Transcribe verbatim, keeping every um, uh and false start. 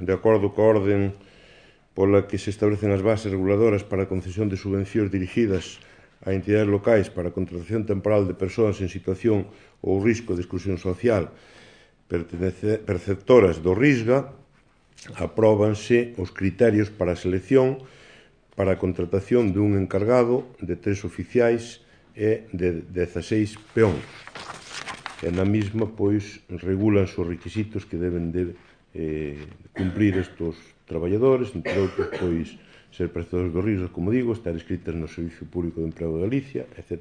de acordo coa orden pola que se establecen as bases reguladoras para a concesión de subvencións dirigidas a entidades locais para a contratación temporal de persoas en situación ou risco de exclusión social perceptoras do RISGA, apróbanse os criterios para a selección para a contratación dun encargado, de tres oficiais e de dezaseis peóns. E na mesma, pois, regulan os requisitos que deben de eh, cumplir estes traballadores, entre outros, pois, ser perceptores do RISGA, como digo, estar inscritos no Servicio Público de Emprego de Galicia, etcétera.